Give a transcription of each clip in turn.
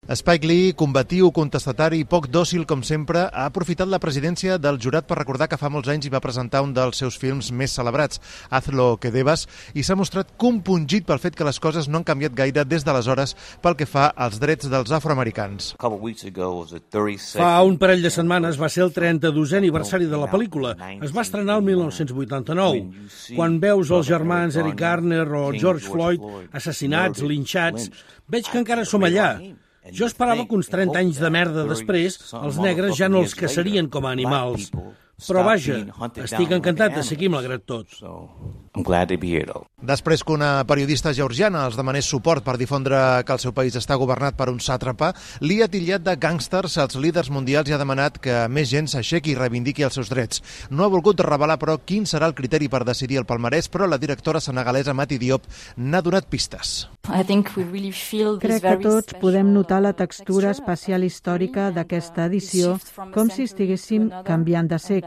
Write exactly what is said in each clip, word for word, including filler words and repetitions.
Spike Lee, combatiu, contestatari i poc dòcil com sempre, ha aprofitat la presidència del jurat per recordar que fa molts anys hi va presentar un dels seus films més celebrats, Haz lo que debas, i s'ha mostrat compungit pel fet que les coses no han canviat gaire des d'aleshores pel que fa als drets dels afroamericans. Fa un parell de setmanes va ser el trenta-dosè aniversari de la pel·lícula. Es va estrenar el mil nou-cents vuitanta-nou. Quan veus els germans Eric Garner o George Floyd assassinats, linxats, veig que encara som allà. Jo esperava que uns trenta anys de merda després els negres ja no els caçarien com a animals. Però vaja, estic encantat de ser aquí malgrat tot. Després que una periodista georgiana els demanés suport per difondre que el seu país està governat per un sàtrapa, Lee ha titllat de gàngsters als líders mundials i ha demanat que més gent s'aixequi i reivindiqui els seus drets. No ha volgut revelar, però, quin serà el criteri per decidir el palmarès, però la directora senegalesa Mati Diop n'ha donat pistes. Crec que tots podem notar la textura espacial històrica d'aquesta edició, com si estiguéssim canviant de segle.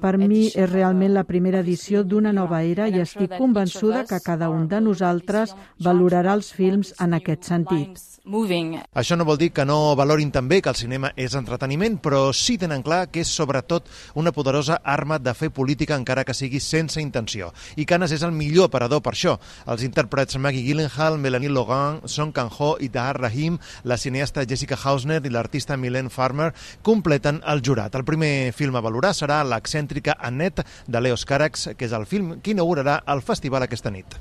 Per mi és realment la primera edició d'una nova era i estic convençuda que cada un de nosaltres valorarà els films en aquest sentit. Això no vol dir que no valorin també que el cinema és entreteniment, però sí tenen clar que és sobretot una poderosa arma de fer política encara que sigui sense intenció. I Canes és el millor aparador per això. Els intèrprets Maggie Gyllenhaal, Melanie Logan, Song Kang-ho i Tahar Rahim, la cineasta Jessica Hausner i l'artista Mylène Farmer completen el jurat. El primer film a valorar serà l'excèntrica Annette de Leos Carax, que és el film que inaugurarà el festival aquesta nit.